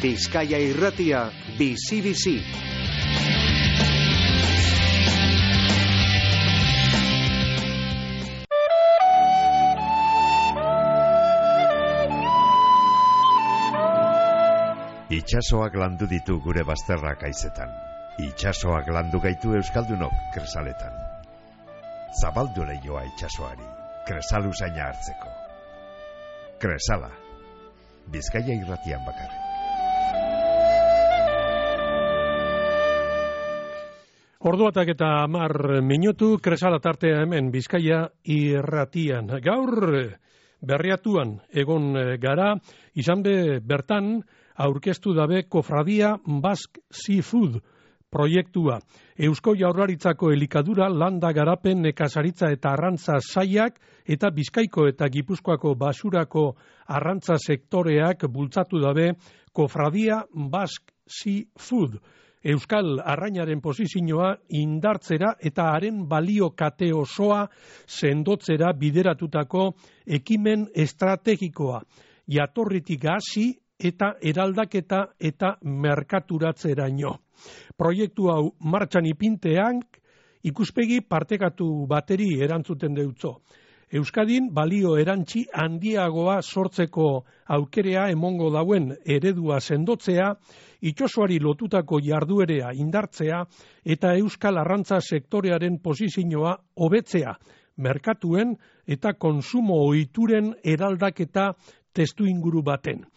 Bizkaia Irratia, bizi-bizi. Itxasoak landu ditu gure bazterrak haizetan. Itxasoak landu gaitu euskaldunok Kresaletan. Zabaldu leioa itxasoari, Kresalu zaina hartzeko. Kresala, Bizkaia Irratian bakarrik. Orduatak eta 10 minutu, Kresala tartea hemen Bizkaia Irratian. Gaur berriatuan egon gara, izan be bertan aurkeztu dabe Kofradia Basque Seafood proiektua. Eusko Jaurlaritzako elikadura, landa garapen, nekazaritza eta arrantza sailak eta Bizkaiko eta Gipuzkoako basurako arrantza sektoreak bultzatu dabe Kofradia Basque Seafood. Euskal arrainaren posizioa indartzera eta haren balio kate osoa sendotzera bideratutako ekimen estrategikoa. Jatorritik hasi eta eraldaketa eta merkaturatzeraino. Proiektu hau martxan ipintean ikuspegi partekatu bateri erantzuten deutzo. Euskadin balio erantzi handiagoa sortzeko aukerea emongo dauen eredua sendotzea, itxosoari lotutako jarduerea indartzea eta euskal arrantza sektorearen posizioa hobetzea, merkatuen eta konsumo ohituren eraldaketa testuinguru baten.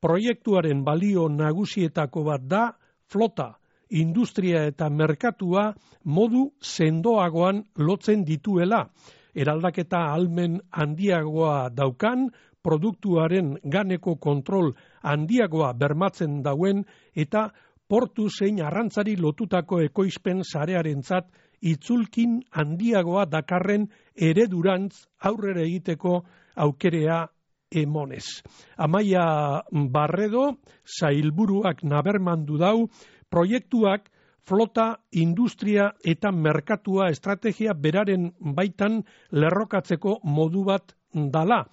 Proiektuaren balio nagusietako bat da flota, industria eta merkatua modu sendoagoan lotzen dituela. Eraldaketa ahalmen handiagoa daukan, produktuaren ganeko kontrol handiagoa bermatzen dauen eta portu zein arrantzari lotutako ekoizpen sarearentzat itzulkin handiagoa dakarren eredurantz aurrera egiteko aukerea emonez. Amaia Barredo, sailburuak nabermandu dau, proiektuak flota, industria eta merkatua estrategia beraren baitan lerrokatzeko modu bat dala.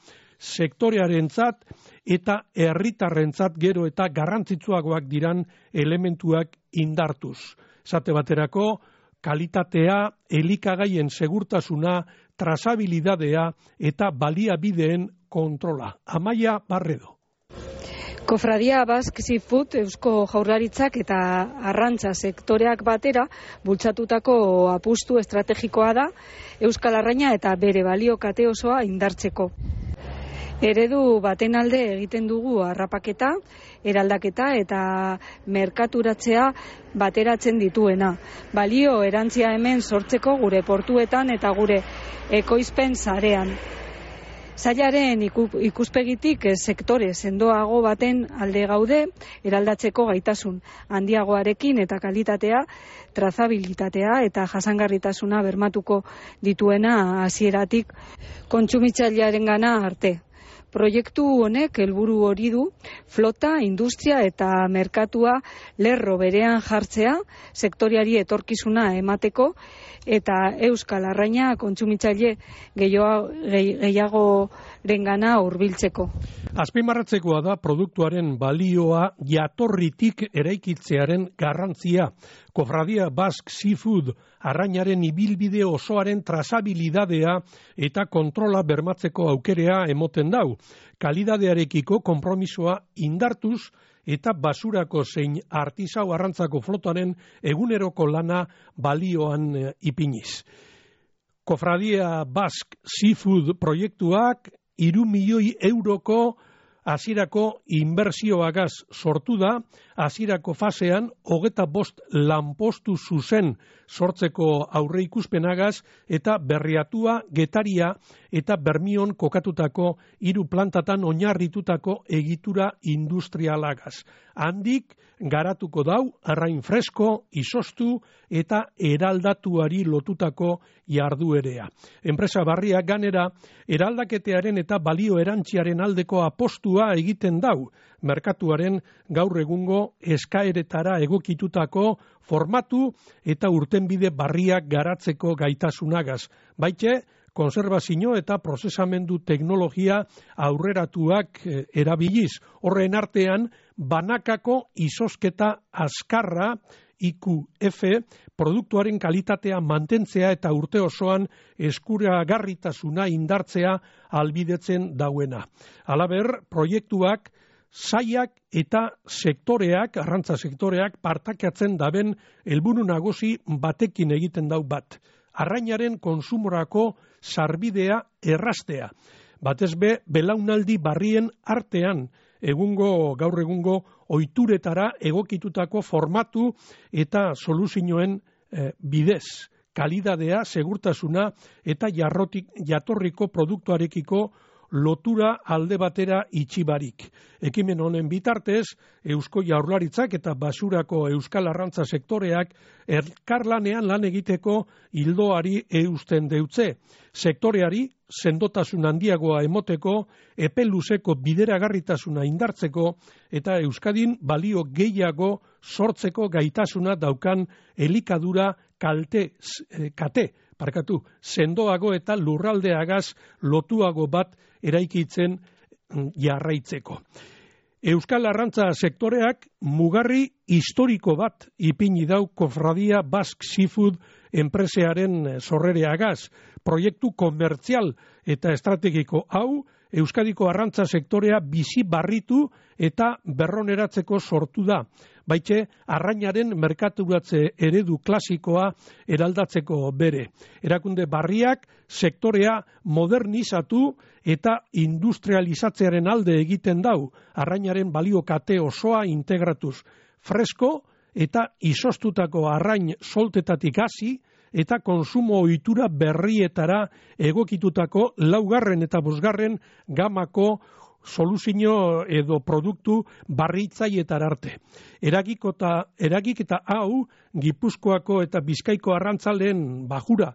Sektorearentzat eta herritarrentzat gero eta garrantzitsuagoak diran elementuak indartuz. Esate baterako, kalitatea, elikagaien segurtasuna, trazabilidadea eta baliabideen kontrola. Amaia Barredo. Kofradia Basque Seafood Eusko Jaurlaritzak eta arrantza sektoreak batera bultzatutako apustu estrategikoa da euskal arraina eta bere balio kate osoa indartzeko. Eredu baten alde egiten dugu harrapaketa, eraldaketa eta merkaturatzea bateratzen dituena. Balio erantzia hemen sortzeko gure portuetan eta gure ekoizpen sarean. Sailaren ikuspegitik sektore sendoago baten alde gaude, eraldatzeko gaitasun handiagoarekin eta kalitatea, trazabilitatea eta jasangarritasuna bermatuko dituena hasieratik kontsumitzailearengana arte. Proiektu honek helburu hori du, flota, industria eta merkatua lerro berean jartzea, sektoriari etorkizuna emateko eta euskal arraina kontsumitzaile gehiagorengana hurbiltzeko. Azpimarratzekoa da produktuaren balioa jatorritik eraikitzearen garrantzia. Kofradia Basque Seafood arrainaren ibilbide osoaren trazabilidadea eta kontrola bermatzeko aukerea emoten dau. Kalidadearekiko konpromisoa indartuz eta basurako zein artisau arrantzako flotaren eguneroko lana balioan ipiniz. Kofradia Basque Seafood proiektuak 3 milioi euroko hasierako inbertsioagaz sortu da, hasierako fasean 25 lanpostu zuzen sortzeko aurreikuspenagaz eta berriatua, Getaria eta Bermion kokatutako 3 plantatan oinarritutako egitura industrialagaz. Handik garatuko dau arrain fresko, izostu eta eraldatuari lotutako jarduerea. Enpresa barriak ganera eraldaketearen eta balio erantziaren aldeko apostua egiten dau, merkatuaren gaur egungo eskaeretara egokitutako formatu eta urtenbide barriak garatzeko gaitasunagaz. Baite, konserbazio eta prozesamendu teknologia aurreratuak erabiliz. Horren artean, banakako izosketa azkarra, IQF, produktuaren kalitatea mantentzea eta urte osoan eskuragarritasuna indartzea albidetzen dauena. Halaber, proiektuak sailak eta sektoreak, arrantza sektoreak, partakatzen daben helburu nagusi batekin egiten dau bat. Arrainaren konsumorako sarbidea erraztea. Batez be, belaunaldi barrien artean, gaur egungo ohituretara egokitutako formatu eta soluzioen bidez. Kalidadea, segurtasuna eta jatorriko produktuarekiko lotura alde batera itxibarik. Ekimen honen bitartez, Eusko Jaurlaritzak eta basurako euskal arrantza sektoreak elkarlanean lan egiteko ildoari eusten deutze. Sektoreari sendotasun handiagoa emoteko, epe luzeko bideragarritasuna indartzeko eta Euskadin balio gehiago sortzeko gaitasuna daukan elikadura sendoago eta lurraldeagaz lotuago bat eraikitzen jarraitzeko. Euskal arrantza sektoreak mugarri historiko bat ipini dau Kofradia Basque Seafood enpresearen sorrereagaz. Proiektu komertzial eta estrategiko hau Euskadiko arrantza sektorea bizi barritu eta berroneratzeko sortu da. Baitxe, arrainaren merkaturatze eredu klasikoa eraldatzeko bere. Erakunde barriak sektorea modernizatu eta industrializatzearen alde egiten dau. Arrainaren balio kate osoa integratuz. Fresko eta izostutako arrain soltetatik hasi eta konsumo ohitura berrietara egokitutako 4. eta 5. gamako soluzio edo produktu barritzailetar arte. Eragiketa hau Gipuzkoako eta Bizkaiko arrantzaleen bajura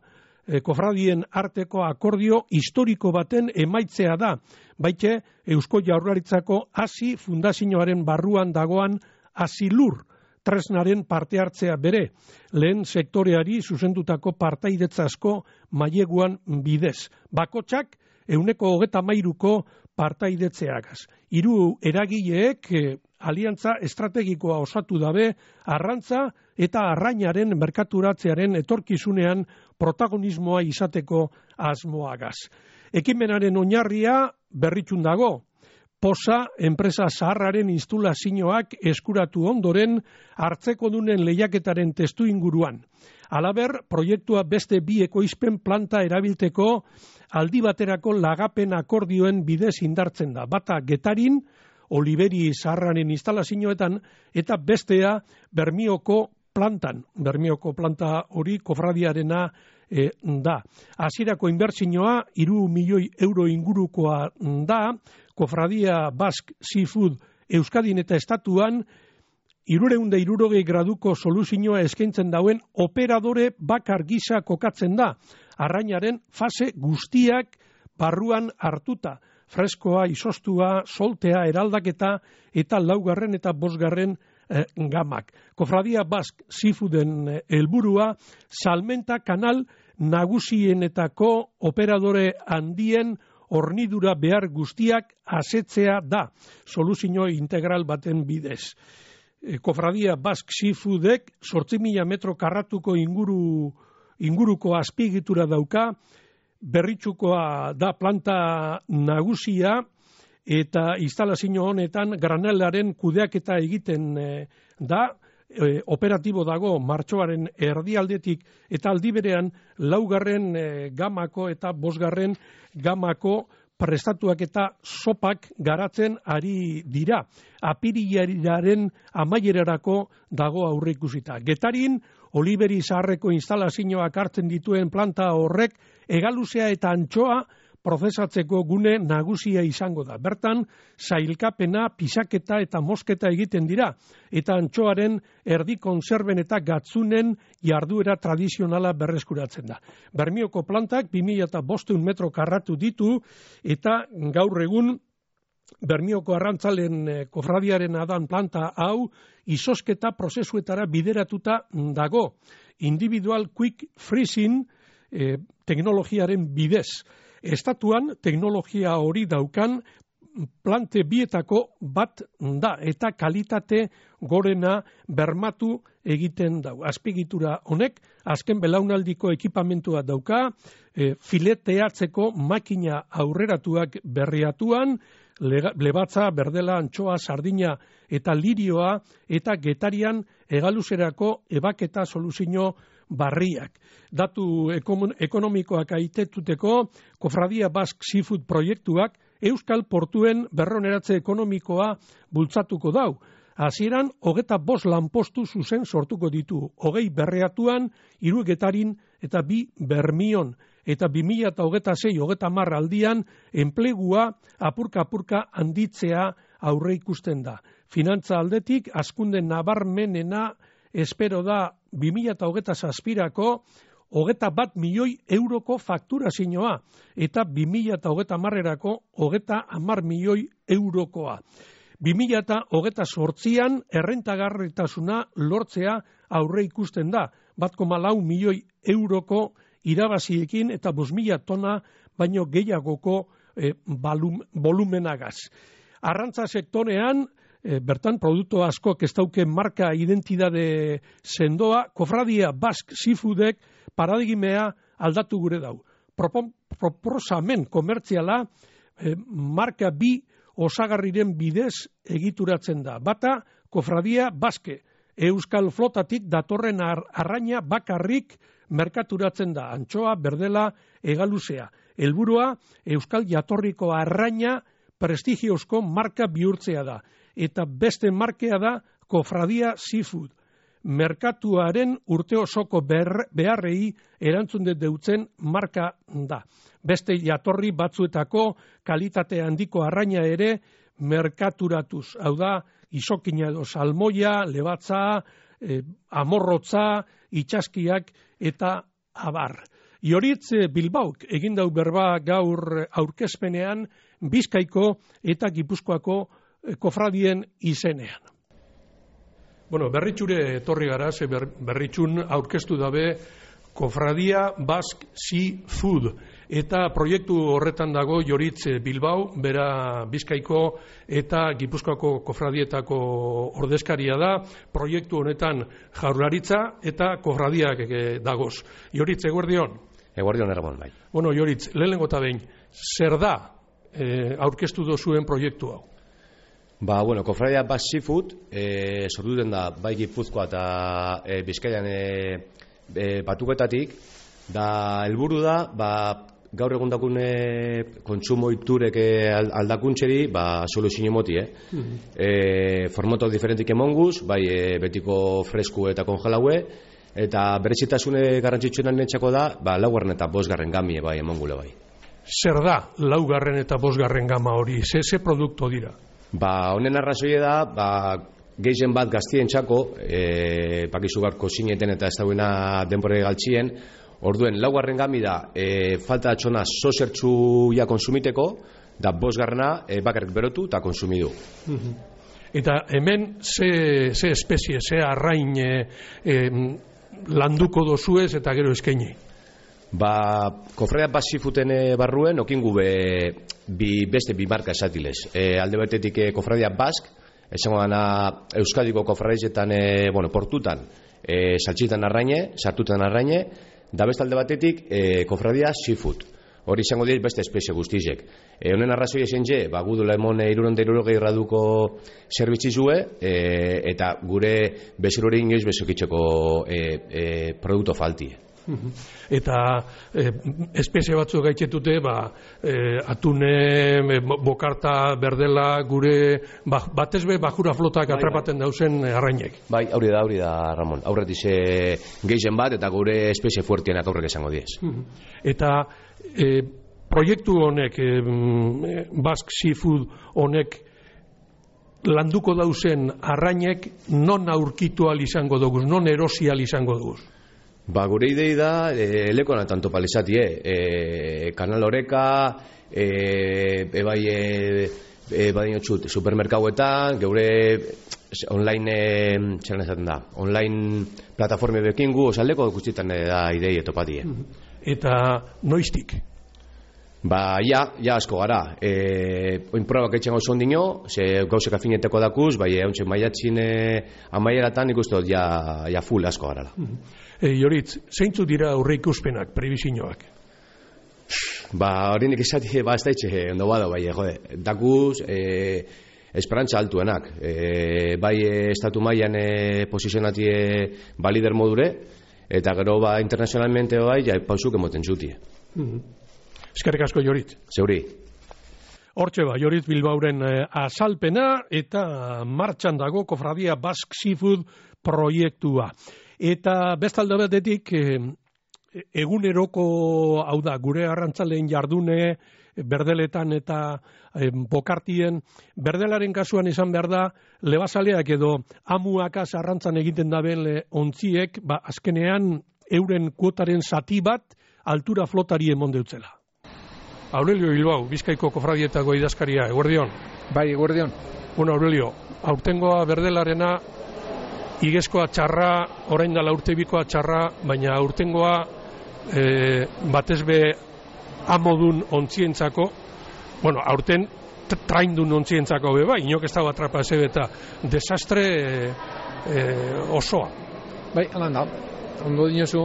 kofradien arteko akordio historiko baten emaitzea da. Baite Eusko Jaurlaritzako hasi fundazioaren barruan dagoan Asilur tresnaren parte hartzea bere, lehen sektoreari zuzendutako partaidetza asko maileguan bidez. Bakotxak 123ko partaidetzeagaz. 3 eragileek aliantza estrategikoa osatu dabe arrantza eta arrainaren merkaturatzearen etorkizunean protagonismoa izateko asmoagaz. Ekimenaren oinarria berritxun dago. Posa enpresa zaharraren instalazioak eskuratu ondoren hartzekodunen lehiaketaren testu inguruan. Halaber, proiektua beste 2 ekoizpen planta erabilteko aldi baterako lagapen akordioen bidez indartzen da. Bata Getarin, Oliberi zaharraren instalazioetan, eta bestea Bermioko plantan. Bermioko planta hori kofradiarena da. Hasierako inbertsioa 3 milioi euro ingurukoa da. Kofradia Basque Seafood Euskadin eta estatuan 360 graduko soluzioa eskaintzen dauen operadore bakar gisa kokatzen da. Arrainaren fase guztiak barruan hartuta. Freskoa, izostua, soltea, eraldaketa eta 4. eta 5. gamak. Kofradia Basque Seafooden helburua salmenta kanal nagusienetako operadore handien hornidura behar guztiak asetzea da, soluzio integral baten bidez. Kofradia Basque Seafoodek 8.000 metro karratuko inguruko azpiegitura dauka, berritxukoa da planta nagusia, eta instalazio honetan granelaren kudeaketa egiten da, operatibo dago martxoaren erdialdetik eta aldi berean 4. gamako eta 5. gamako prestatuak eta sopak garatzen ari dira. Apirilaren amaierarako dago aurreikusita. Getarin, Oliberi zaharreko instalazioak hartzen dituen planta horrek hegaluzea eta antxoa prozesatzeko gune nagusia izango da. Bertan, sailkapena, pisaketa eta mosketa egiten dira, eta antxoaren erdi konserben eta gatzunen jarduera tradizionala berreskuratzen da. Bermioko plantak 2.500 metro karratu ditu, eta gaur egun Bermioko arrantzalen kofradiaren adan planta hau izosketa prozesuetara bideratuta dago. Individual quick freezing teknologiaren bidez. Estatuan teknologia hori daukan plante bietako bat da eta kalitate gorena bermatu egiten dau. Azpiegitura honek azken belaunaldiko ekipamentua dauka, fileteatzeko makina aurreratuak berriatuan, lebatza, berdela, antxoa, sardina eta lirioa eta getarian hegaluzerako ebaketa soluzio barriak. Datu ekonomikoak aitetuteko Kofradia Basque Seafood proiektuak Euskal Portuen berroneratze ekonomikoa bultzatuko dau. Hasieran 25 lanpostu zuzen sortuko ditu, 20 berreatuan, 3 getarin eta 2 bermion. Eta 2026-30 aldian enplegua apurka-apurka handitzea aurre ikusten da. Finantza aldetik, hazkunde nabarmenena espero da 2027ko 21 milioi euroko fakturazioa eta 2030erako 30 milioi eurokoa. 2028an errentagarritasuna lortzea aurre ikusten da, 1,4 milioi euroko irabaziekin eta 5.000 tona baino gehiagoko volumenagaz. Arrantza sektorean, bertan produktu asko ez dauke marka identidade sendoa, Kofradia Basque Seafoodek paradigmea aldatu gure dau. Proposamen komertziala marka bi osagarriren bidez egituratzen da. Bata, Kofradia Basque, Euskal Flotatik datorren arraina bakarrik merkaturatzen da, antxoa, berdela, hegaluzea. Helburua Euskal jatorriko arraina prestigiozko marka bihurtzea da. Eta beste markea da Kofradia Seafood. Merkatuaren urte osoko beharrei erantzun deutzen marka da. Beste jatorri batzuetako kalitate handiko arraina ere merkaturatuz. Hau da, isokina edo salmoia, lebatza, amorrotza, itxaskiak eta abar. Ioritz Bilbauk egindau berba gaur aurkezpenean Bizkaiko eta Gipuzkoako kofradien izenean. Bueno, berritxure etorri gara, berritxun aurkeztu dabe Kofradia Basque Seafood eta proiektu horretan dago Ioritz Bilbao, bera Bizkaiko eta Gipuzkoako kofradietako ordezkaria da, proiektu honetan Jaurlaritza eta kofradiak dagoz. Ioritz, eguerdion? Eguerdion, Erramon, bai. Bueno, Ioritz, lehenengo eta behin, zer da aurkeztu dozuen proiektu hau? Ba, bueno, Kofradia Basque Seafood sortuten da bai Gipuzkoa eta Bizkaian batuketatik, da helburu da, gaur egun dakune kontsumo iturek aldakuntxeri, soluzio moti, formato diferentik emonguz, bai betiko fresku eta kongelaue, eta berezitasune garrantzitsuenan netxako da, 4. eta 5. gamie bai emongule bai. Zer da 4. eta 5. gama hori? Ze produkto dira? Honen arrazoie da, gehien bat gaztien txako, pakizu garko zineten eta ez dauena denbore galtzien, orduen 4. gami da, falta atxona zozertxu ja konsumiteko, da 5. bakarrik berotu eta konsumidu. Eta hemen ze espezie, ze arrain landuko dozuez eta gero eskaini? Kofradia Basque Seafooden barruen okingu beste bi marka esatilez. Alde batetik Kofradia Basque, esango dana Euskadiko kofradietan, portutan, saltxitan arraine, sartutan arraine, da beste alde batetik Kofradia Seafood. Hori izango dira beste espezie guztizek. Honen arrazoi ezen je, gudula emon 360 graduko zerbitzizue, eta gure bezur hori inoiz bezokitzeko produkto faltie. Eta espezie batzuk gaitzetute, atune, bokarta, berdela, gure batezbe bajura flotak atrapaten dauzen arrainek. Bai, hori da, Ramon. Aurretik gehien bat eta gure espezie fuertienak aurrek esango diez. Eta proiektu honek, Basque Seafood honek, landuko dauzen arrainek non aurkitu izango dugu, non erosi izango dugu? Gure idei da, lekona tanto palizatie, Kanal Oreka, badinotxut, supermerkauetan, geure online, online plataforme bekingu, osaldeko guztietan da idei etopatie. eta noiztik? Ba, ja asko gara. Oin probak etxen gauz ondino, ze gauzek afineteko dakuz, bai, hauntxe maiatxin amaieratan ikustot ja full asko gara. Joritz, zeintzu dira aurre ikuspenak, prebisioak? Ba, horinik esati, ez da itxe, ondo bada, bai, jode, dakuz, esperantza altuenak. Bai, estatu mailan posizionatie balider modure, eta gero, ba, internazionalmente, bai, pausuk emoten zutie. Eskerrik asko, Joritz. Zeuri. Hortxe ba, Joritz Bilbauren azalpena eta martxan dago Kofradia Basque Seafood proiektua. Eta bestalde batetik eguneroko, hau da, gure arrantzaleen jardune, berdeletan eta bokartien, berdelaren kasuan izan behar da, lebazaleak edo amuakaz arrantzan egiten daben ontziek, ba, azkenean euren kuotaren zati bat altura flotari emon deutzela. Aurelio Bilbao, Bizkaiko Kofradietako idazkaria, eguerdion. Bai, eguerdion. Bueno, Aurelio, aurtengoa berdelarena igezkoa txarra, orain dela urtebikoa txarra, baina aurtengoa batezbe amodun ontzientzako, bueno, aurten traindun ontzientzako beba, inok ez dago atrapa ezebeta, desastre osoa. Bai, alan da. Ondo dinozu,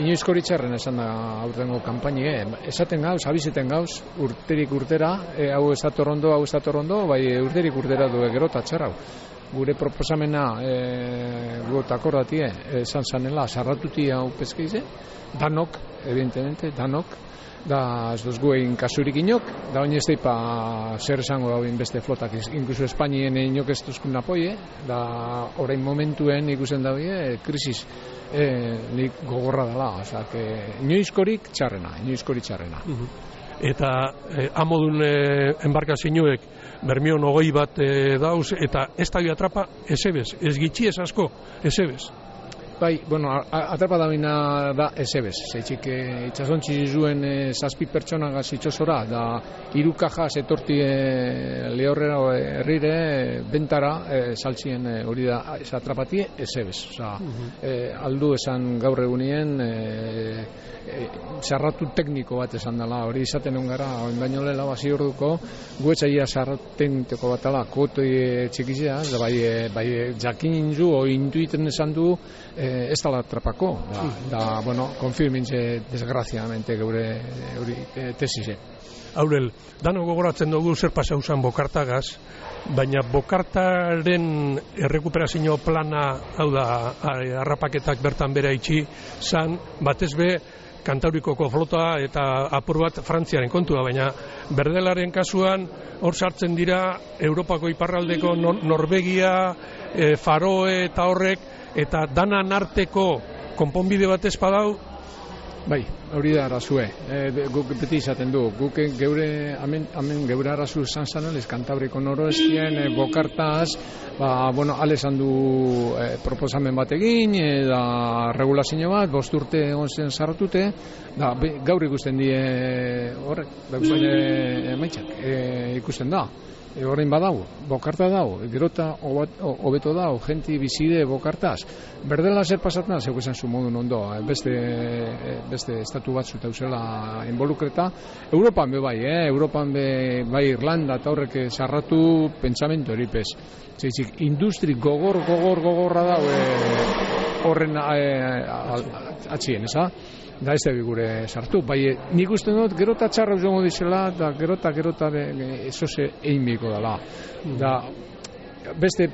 inoizko txarren esan da aurtengo kanpaini, esaten gauz, abizeten gauz, urterik urtera, hau ez dator ondo, bai urterik urtera du gero eta txarra. Gure proposamena got akordatie, esan zanela, sarratuti hau peskeize, danok, evidentemente, danok, da ez duz guen kasurik inok, da oin ez deipa zer esango dauen beste flotak, inkluso Espainien inok ez duzkun apoie, da orain momentuen ikusen daue, krisis nik gogorra dela, oza, inoizkorik txarrena. Eta amodun embarkazioek Bermion 20 bat dauz, eta ez da atrapa ezebez, ez gitxi ez asko, ezebez. Bai, bueno, atrapa dabina da ezebez, zeitzik itxasontzi zuen 7 pertsonagaz itxosora, da 3 kajaz etorti lehorrera herrire bentara saltzien hori da ez atrapatie ezebez. Osa, aldu esan gaur egunien sarratu tekniko bat esan dela, hori izaten ongara, oin baino lehela basi orduko, guetzaia sarratu tekniko bat dela, kotoi txikizea, da bai jakin zu, o intuiten esan du, ez dala atrapako, da bueno, konfirmintze desgraziamente geure tesise. Aurel, dano gogoratzen dugu zer pasau zan bokartagaz, baina bokartaren errekuperazio plana, hau da, harrapaketak bertan bera itxi, zan, batezbe, Kantaurikoko flota eta apur bat Frantziaren kontua, baina berdelaren kasuan hor sartzen dira Europako iparraldeko Norvegia, Faroe eta horrek, eta danan arteko konponbide bat espadau. Bai, hori da arazue. Guk beti izaten du. Guk geure, hemen geure arazu izan zanelez, Kantabriko noroestien, bokartaz, alesan du proposamen bat egin, da regulazio bat, 5 urte egon zen sarratute, da gaur ikusten die horrek, dauzene emaitzak, ikusten da. Horrein badau, bokarta dau, gerota hobeto dau, jenti bizide bokartaz. Berdela zer pasatzen, zeu esan zu modun ondo, beste estatu batzu tauzela involukreta. Europan be bai, Europan be bai Irlanda eta horrek sarratu pentsamentu hori pez. Zeitzik, industri gogorra dau horren atxien, eza? Da ez da gure sartu, bai nik uste dut gerota txarra uzongo dizela, da gerota ezoze egin biko dela. Da beste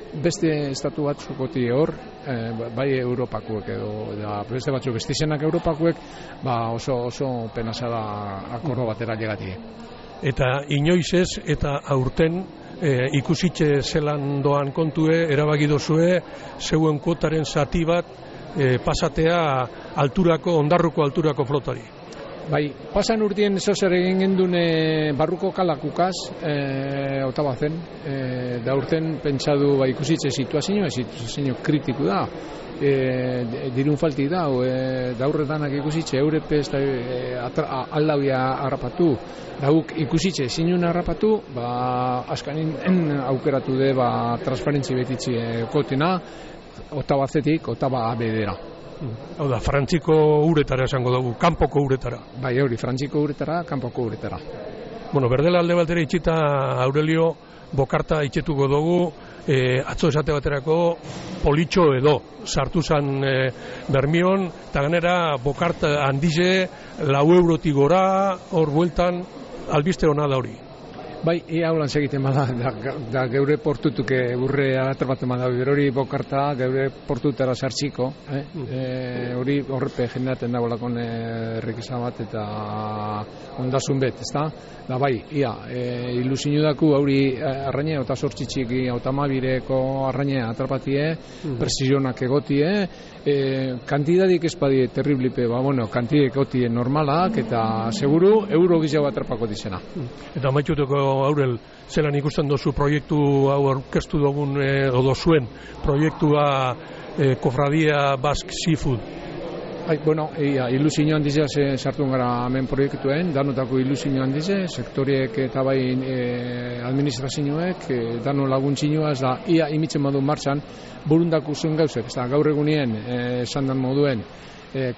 estatu batzukoti hor, bai Europakuek edo, da beste batzuk beste izenak Europakuek, oso penasa da akordo batera llegatie. Eta inoiz ez, eta aurten ikusitxe zelan doan kontue, erabagidozue, zeuen kuotaren zati bat, pasatea ondarruko alturako flotari. Bai, pasan urtien zozer egin gendun barruko kalakukaz, otabazen, da urten pentsadu ikusitze situazio kritiku da, dirun falti da, da urretanak ikusitze, eurepez aldauia harrapatu, da guk ikusitze zinun harrapatu, askanin aukeratu de transparentzi betitzi kotina, otabazetik, otaba abedera. Hau da, frantziko uretara esango dugu, kanpoko uretara. Bai, hori, frantziko uretara, kanpoko uretara. Bueno, berdela alde batera itxita, Aurelio, bokarta itxetuko dugu, atzo esate baterako politxo edo, sartu zan Bermion, eta ganera bokarta handize, 4 eurotik gora, hor bueltan, albiste hona da hori. Bai, ia holan segiten bada, da geure portutuke urre atrapatzen bada, hori bokarta, geure portutara sartziko, hori horrepe jeneraten dago lakon errekisa bat eta ondasun bet, ezta? Da bai, ia, ilusinu daku hori arraine, eta sortxitxiki, autamabireko arraine atrapatie, presisionak egotie, kantidadik espadie terriblipe, kantidadik egotie normalak, eta seguru euro gizau atrapako dizena. Eta maituteko Aurel, zelan ikusten dozu proiektu hau aurkeztu dugun edo zuen proiektua Kofradia Basque Seafood? Ilusio handize sartu gara hemen proiektuen, danotako ilusio handize, sektoriek eta bai administrazioek, dano laguntzinua, ez da, ia imitzen modu martxan, burundako zuen gauzek, ez da, gaur egunien, esan dan moduen,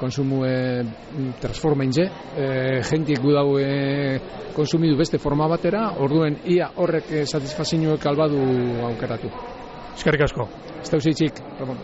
konsumu transformaintze, jentik gudau konsumidu beste forma batera, orduen ia horrek satisfazioek albadu aukeratu. Eskerrik asko. Ez dauzitxik, Ramon.